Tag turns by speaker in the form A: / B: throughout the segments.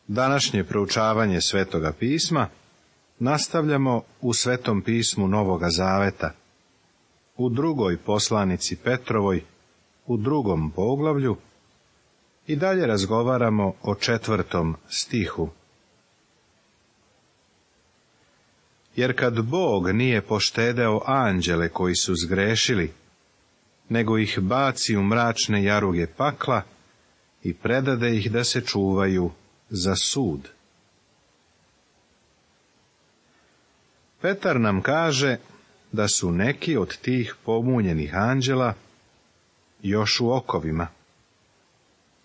A: Današnje proučavanje Svetoga pisma nastavljamo u Svetom pismu Novoga Zaveta, u drugoj poslanici Petrovoj, u 2. poglavlju, i dalje razgovaramo o 4. stihu. Jer kad Bog nije poštedeo anđele koji su zgrešili, nego ih baci u mračne jaruge pakla i predade ih da se čuvaju za sud. Petar nam kaže da su neki od tih pomunjenih anđela još u okovima,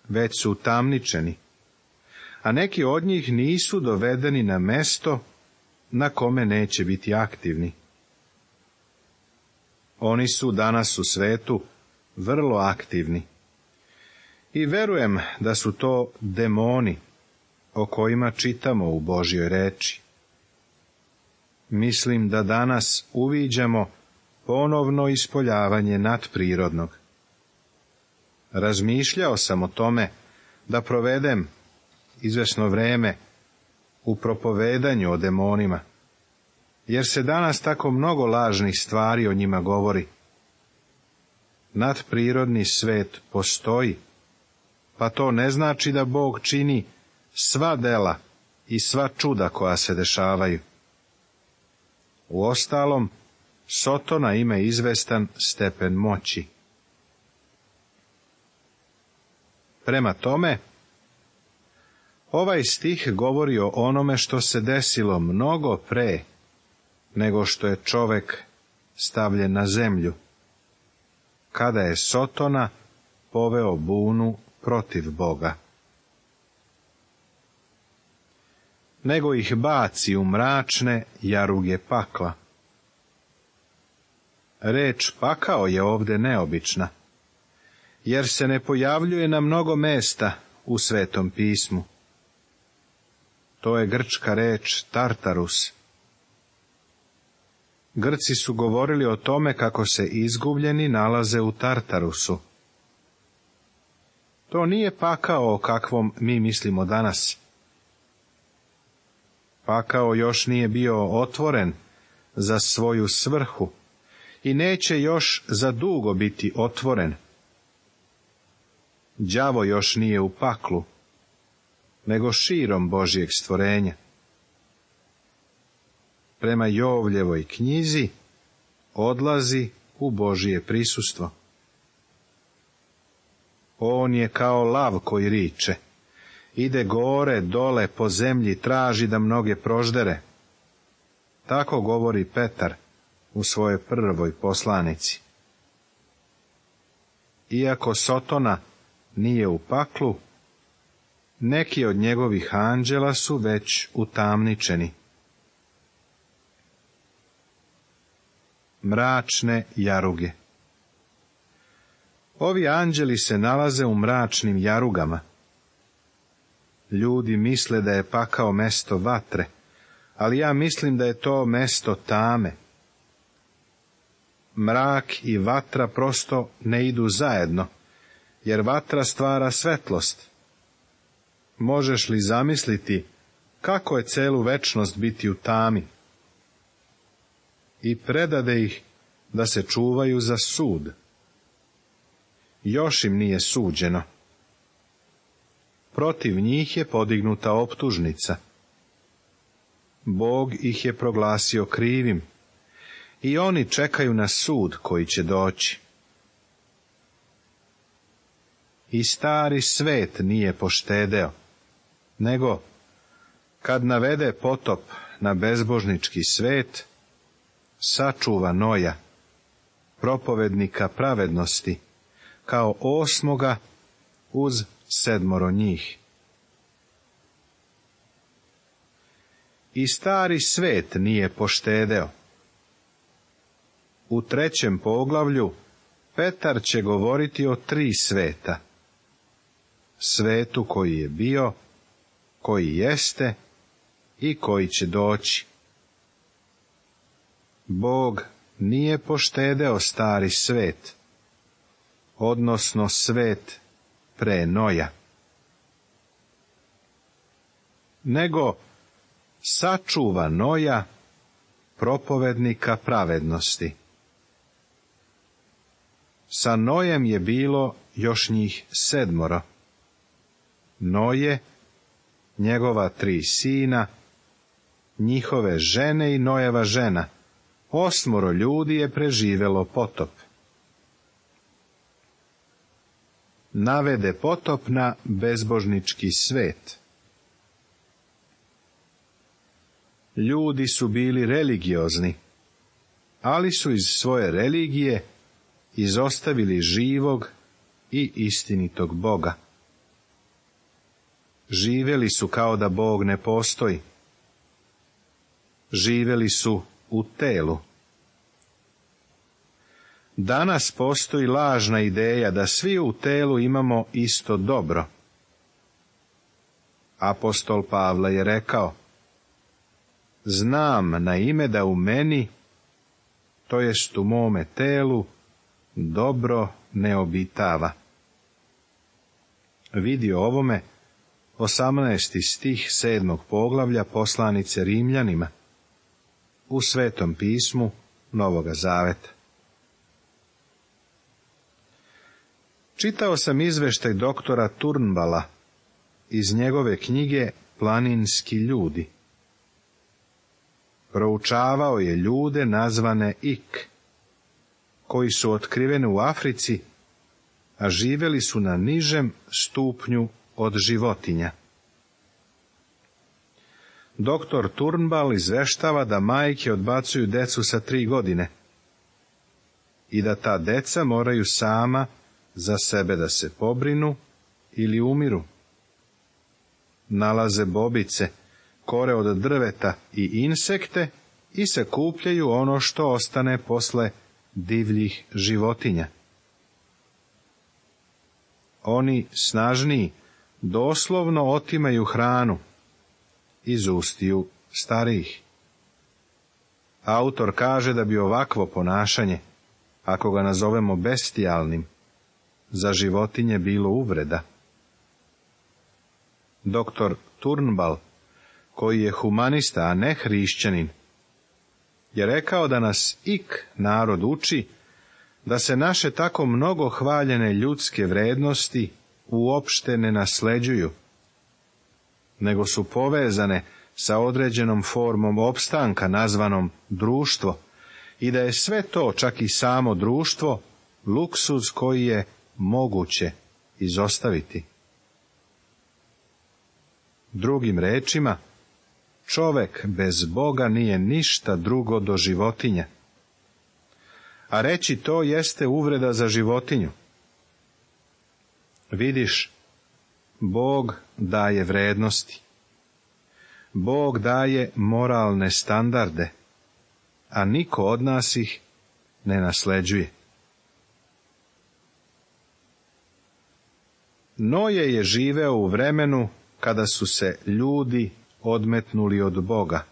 A: već su utamničeni, a neki od njih nisu dovedeni na mesto na kome neće biti aktivni. Oni su danas u svetu vrlo aktivni i verujem da su to demoni o kojima čitamo u Božjoj reči. Mislim da danas uviđamo ponovno ispoljavanje nadprirodnog. Razmišljao sam o tome da provedem izvesno vreme u propovedanju o demonima, jer se danas tako mnogo lažnih stvari o njima govori. Nadprirodni svet postoji, pa to ne znači da Bog čini sva dela i sva čuda koja se dešavaju. Uostalom, Sotona ima izvestan stepen moći. Prema tome, ovaj stih govori o onome što se desilo mnogo pre nego što je čovek stavljen na zemlju, kada je Sotona poveo bunu protiv Boga. Nego ih baci u mračne jaruge pakla. Reč pakao je ovde neobična, jer se ne pojavljuje na mnogo mesta u Svetom pismu. To je grčka reč Tartarus. Grci su govorili o tome kako se izgubljeni nalaze u Tartarusu. To nije pakao o kakvom mi mislimo danas. Pakao još nije bio otvoren za svoju svrhu i neće još za dugo biti otvoren. Đavo još nije u paklu, nego širom Božjeg stvorenja. Prema Jovljevoj knjizi odlazi u Božje prisustvo. On je kao lav koji riče, ide gore, dole, po zemlji, traži da mnoge proždere. Tako govori Petar u svojoj prvoj poslanici. Iako Sotona nije u paklu, neki od njegovih anđela su već utamničeni. Mračne jaruge. Ovi anđeli se nalaze u mračnim jarugama. Ljudi misle da je pakao mesto vatre, ali ja mislim da je to mesto tame. Mrak i vatra prosto ne idu zajedno, jer vatra stvara svetlost. Možeš li zamisliti kako je celu večnost biti u tami? I predade ih da se čuvaju za sud. Još im nije suđeno. Protiv njih je podignuta optužnica. Bog ih je proglasio krivim i oni čekaju na sud koji će doći. I stari svet nije poštedeo, nego, kad navede potop na bezbožnički svet, sačuva Noja, propovednika pravednosti, kao 8. uz 7 njih. I stari svet nije poštedeo. U 3. poglavlju Petar će govoriti o 3 sveta. Svetu koji je bio, koji jeste i koji će doći. Bog nije poštedeo stari svet, odnosno svet pre Noja. nego sačuva Noja, propovednika pravednosti. Sa Nojem je bilo još njih 7. Noje, njegova 3 sina, njihove žene i Nojeva žena, 8 ljudi je preživelo potop. Navede potop na bezbožnički svet. Ljudi su bili religiozni, ali su iz svoje religije izostavili živog i istinitog Boga. Živjeli su kao da Bog ne postoji. Živjeli su u telu. Danas postoji lažna ideja da svi u telu imamo isto dobro. Apostol Pavle je rekao: znam na ime da u meni, to jest u mome telu, dobro ne obitava. Vidi o ovome 18. stih 7. poglavlja poslanice Rimljanima u Svetom pismu Novoga Zaveta. Čitao sam izveštaj doktora Turnbala iz njegove knjige Planinski ljudi. Proučavao je ljude nazvane Ik, koji su otkriveni u Africi, a živjeli su na nižem stupnju od životinja. Doktor Turnbal izveštava da majke odbacuju decu sa 3 godine i da ta deca moraju sama za sebe da se pobrinu ili umiru. Nalaze bobice, kore od drveta i insekte i sakupljaju ono što ostane posle divljih životinja. Oni snažniji doslovno otimaju hranu iz ustiju starijih. Autor kaže da bi ovakvo ponašanje, ako ga nazovemo bestijalnim, za životinje bilo uvreda. Doktor Turnbal, koji je humanista, a ne hrišćanin, je rekao da nas Ik narod uči da se naše tako mnogo hvaljene ljudske vrednosti uopšte ne nasleđuju, nego su povezane sa određenom formom opstanka nazvanom društvo, i da je sve to, čak i samo društvo, luksuz koji je moguće izostaviti. Drugim rečima, čovek bez Boga nije ništa drugo do životinja. A reći to jeste uvreda za životinju. Vidiš, Bog daje vrednosti. Bog daje moralne standarde, a niko od nas ih ne nasleđuje. Noje je živeo u vremenu kada su se ljudi odmetnuli od Boga.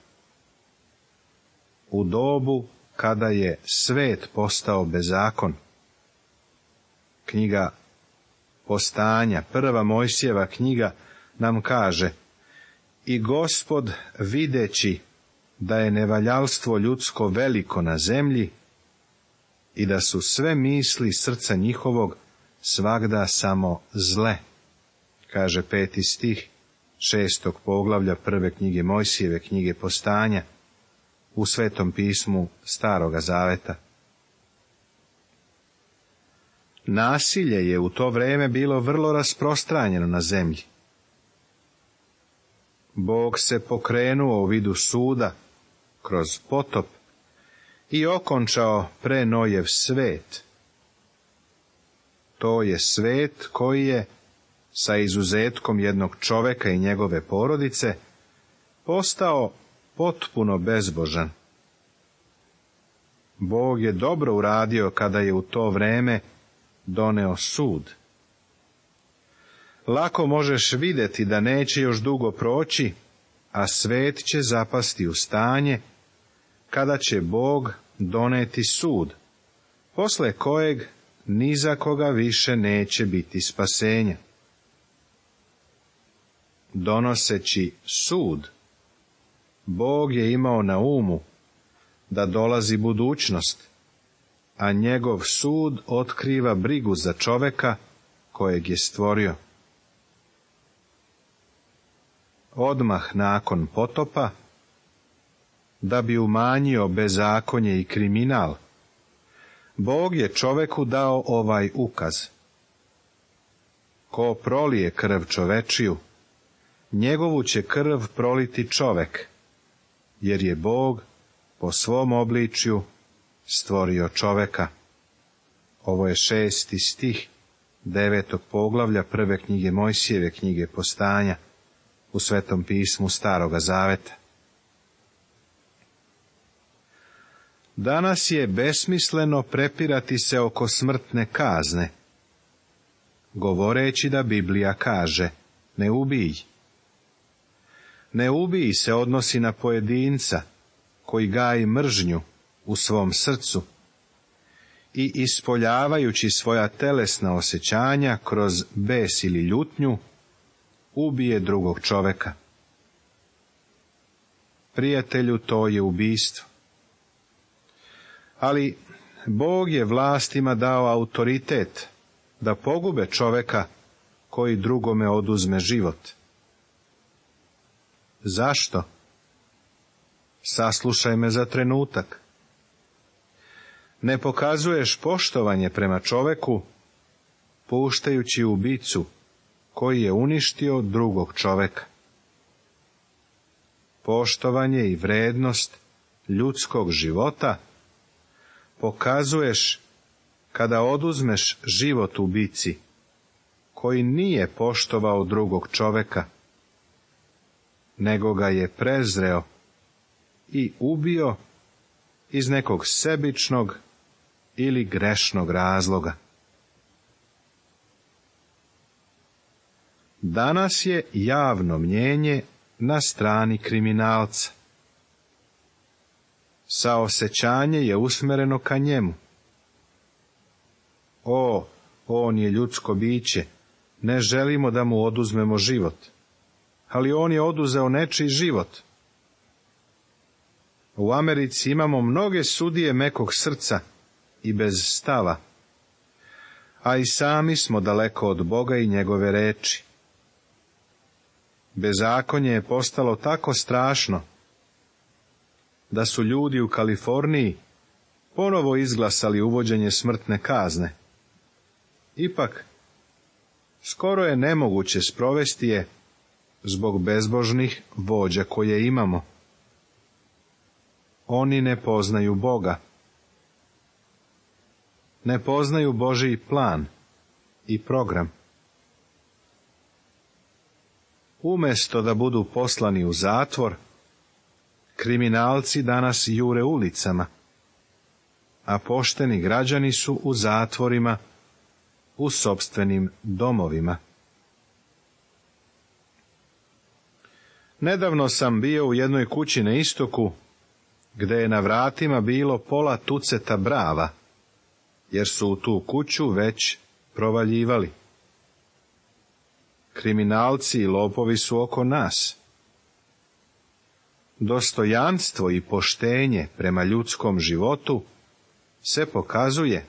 A: U dobu kada je svet postao bezakon. Knjiga Postanja, 1. Mojsijeva knjiga, nam kaže: i Gospod, videći da je nevaljalstvo ljudsko veliko na zemlji i da su sve misli srca njihovog svagda samo zle, kaže 5. stih 6. poglavlja 1. knjige Mojsijeve knjige Postanja u Svetom pismu Staroga Zaveta. Nasilje je u to vrijeme bilo vrlo rasprostranjeno na zemlji. Bog se pokrenuo u vidu suda kroz potop i okončao pre Nojev svet. To je svet koji je, sa izuzetkom jednog čoveka i njegove porodice, postao potpuno bezbožan. Bog je dobro uradio kada je u to vrijeme doneo sud. Lako možeš vidjeti da neće još dugo proći, a svet će zapasti u stanje kada će Bog doneti sud, posle kojeg ni za koga više neće biti spasenja. donoseći sud, Bog je imao na umu da dolazi budućnost, a njegov sud otkriva brigu za čoveka kojeg je stvorio. Odmah nakon potopa, da bi umanjio bezakonje i kriminal, Bog je čoveku dao ovaj ukaz: ko prolije krv čovečiju, njegovu će krv proliti čovek, jer je Bog po svom obličju stvorio čoveka. Ovo je 6. stih 9. poglavlja 1. knjige Mojsijeve, knjige Postanja, u Svetom pismu Staroga Zaveta. Danas je besmisleno prepirati se oko smrtne kazne, govoreći da Biblija kaže: ne ubij. Ne ubij se odnosi na pojedinca koji gaji mržnju u svom srcu i ispoljavajući svoja telesna osjećanja kroz bes ili ljutnju, ubije drugog čoveka. Prijatelju, to je ubistvo. Ali Bog je vlastima dao autoritet da pogube čoveka koji drugome oduzme život. Zašto? Saslušaj me za trenutak. Ne pokazuješ poštovanje prema čoveku, puštajući ubicu koji je uništio drugog čoveka. Poštovanje i vrednost ljudskog života pokazuješ kada oduzmeš život ubici koji nije poštovao drugog čoveka, nego ga je prezreo i ubio iz nekog sebičnog ili grešnog razloga. Danas je javno mnjenje na strani kriminalca. Saosećanje je usmereno ka njemu. O, on je ljudsko biće, ne želimo da mu oduzmemo život, ali on je oduzeo nečiji život. U Americi imamo mnoge sudije mekog srca i bez stava, a i sami smo daleko od Boga i njegove reči. Bezakonje je postalo tako strašno da su ljudi u Kaliforniji ponovo izglasali uvođenje smrtne kazne. Ipak, skoro je nemoguće sprovesti je zbog bezbožnih vođa koje imamo. Oni ne poznaju Boga. Ne poznaju Božji plan i program. Umjesto da budu poslani u zatvor, kriminalci danas jure ulicama, a pošteni građani su u zatvorima, u sopstvenim domovima. Nedavno sam bio u jednoj kući na istoku, gde je na vratima bilo pola tuceta brava, jer su u tu kuću već provaljivali. Kriminalci i lopovi su oko nas. Dostojanstvo i poštenje prema ljudskom životu se pokazuje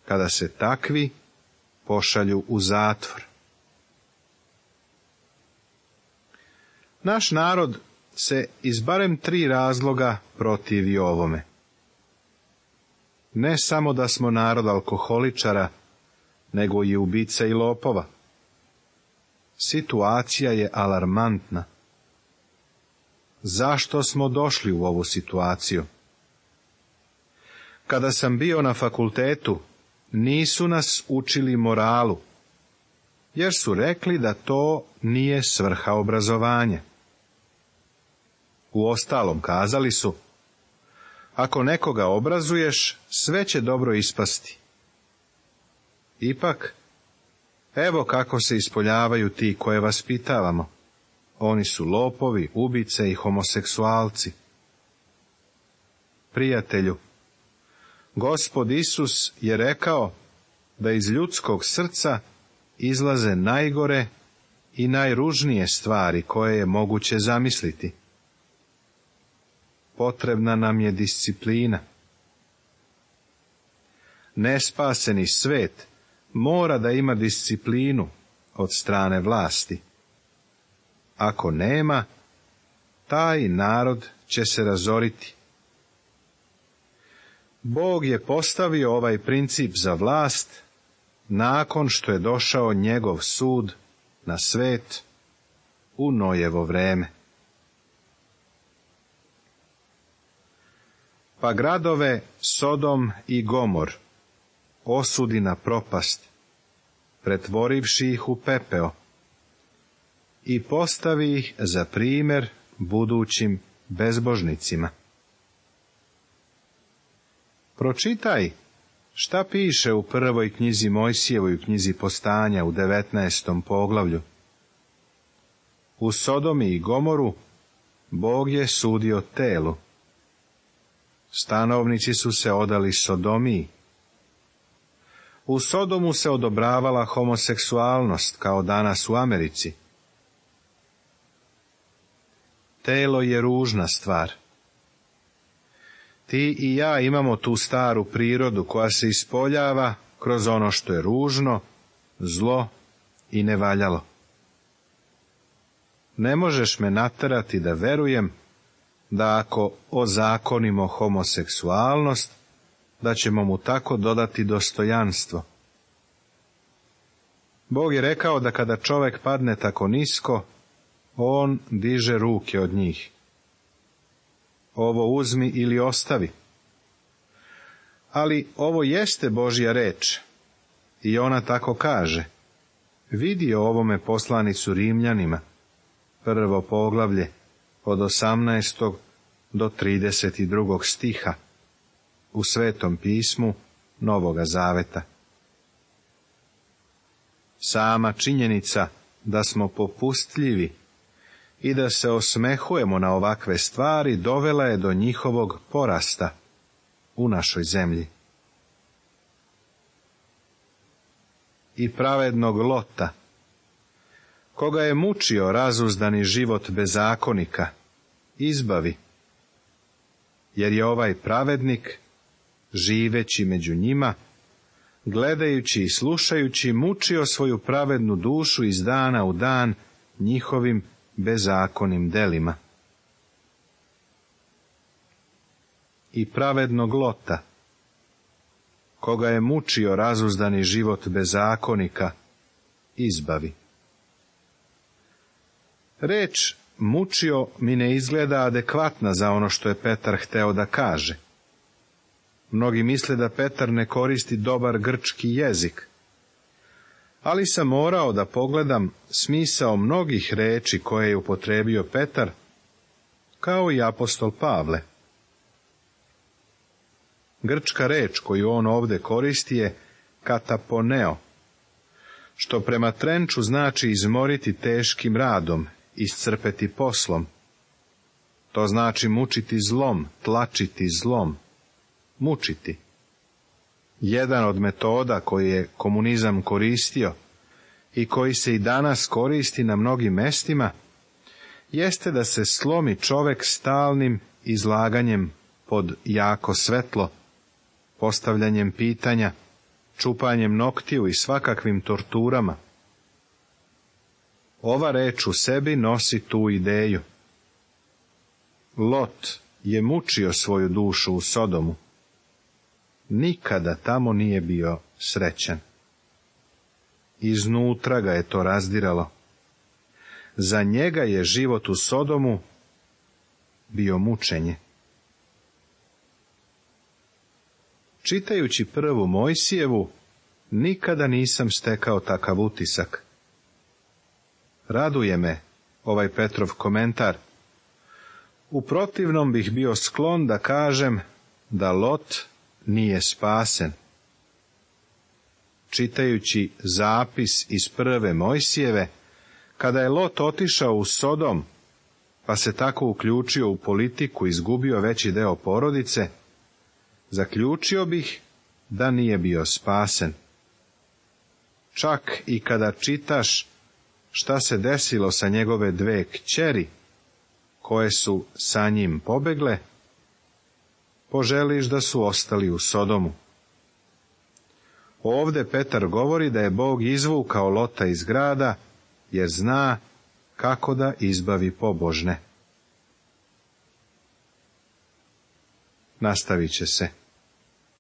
A: kada se takvi pošalju u zatvor. Naš narod se iz barem 3 razloga protivi ovome. Ne samo da smo narod alkoholičara, nego i ubica i lopova. Situacija je alarmantna. Zašto smo došli u ovu situaciju? Kada sam bio na fakultetu, nisu nas učili moralu, jer su rekli da to nije svrha obrazovanja. Uostalom kazali su: ako nekoga obrazuješ, sve će dobro ispasti. Ipak, evo kako se ispoljavaju ti koje vaspitavamo. Oni su lopovi, ubice i homoseksualci. Prijatelju, Gospod Isus je rekao da iz ljudskog srca izlaze najgore i najružnije stvari koje je moguće zamisliti. Potrebna nam je disciplina. Nespaseni svet mora da ima disciplinu od strane vlasti. Ako nema, taj narod će se razoriti. Bog je postavio ovaj princip za vlast nakon što je došao njegov sud na svet u Nojevo vreme. Pa gradove Sodom i Gomor osudi na propast, pretvorivši ih u pepeo, i postavi ih za primjer budućim bezbožnicima. Pročitaj šta piše u prvoj knjizi Mojsijevoj, knjizi Postanja u 19. poglavlju. U Sodomi i Gomoru Bog je sudio telu. Stanovnici su se odali sodomiji. U Sodomu se odobravala homoseksualnost, kao danas u Americi. Telo je ružna stvar. Ti i ja imamo tu staru prirodu koja se ispoljava kroz ono što je ružno, zlo i nevaljalo. Ne možeš me naterati da verujem da ako ozakonimo homoseksualnost, da ćemo mu tako dodati dostojanstvo. Bog je rekao da kada čovjek padne tako nisko, on diže ruke od njih. Ovo uzmi ili ostavi. Ali ovo jeste Božja reč, i ona tako kaže. Vidi o ovome poslanicu Rimljanima, 1. poglavlje, od 18. do 32. stiha, u Svetom pismu Novoga Zaveta. Sama činjenica da smo popustljivi i da se osmehujemo na ovakve stvari dovela je do njihovog porasta u našoj zemlji. I pravednog Lota, koga je mučio razuzdani život bezakonika, izbavi, jer je ovaj pravednik, živeći među njima, gledajući i slušajući, mučio svoju pravednu dušu iz dana u dan njihovim bezakonim delima. I pravednog Lota, koga je mučio razuzdani život bezakonika, izbavi. Reč mučio mi ne izgleda adekvatna za ono što je Petar hteo da kaže. Mnogi misle da Petar ne koristi dobar grčki jezik, ali sam morao da pogledam smisao mnogih reči koje je upotrebio Petar, kao i apostol Pavle. Grčka reč koju on ovde koristi je kataponeo, što prema trenču znači izmoriti teškim radom, iscrpeti poslom. To znači mučiti zlom, tlačiti zlom, mučiti. Jedan od metoda koji je komunizam koristio i koji se i danas koristi na mnogim mestima, jeste da se slomi čovek stalnim izlaganjem pod jako svetlo, postavljanjem pitanja, čupanjem noktiju i svakakvim torturama. Ova reč u sebi nosi tu ideju. Lot je mučio svoju dušu u Sodomu. Nikada tamo nije bio srećan. Iznutra ga je to razdiralo. Za njega je život u Sodomu bio mučenje. Čitajući prvu Mojsijevu, nikada nisam stekao takav utisak. Raduje me ovaj Petrov komentar. U protivnom bih bio sklon da kažem da Lot nije spasen. Čitajući zapis iz prve Mojsijeve, kada je Lot otišao u Sodom, pa se tako uključio u politiku i izgubio veći deo porodice, zaključio bih da nije bio spasen. Čak i kada čitaš šta se desilo sa njegove 2 kćeri, koje su sa njim pobegle, poželiš da su ostali u Sodomu. Ovde Petar govori da je Bog izvukao Lota iz grada, jer zna kako da izbavi pobožne. Nastavit će se.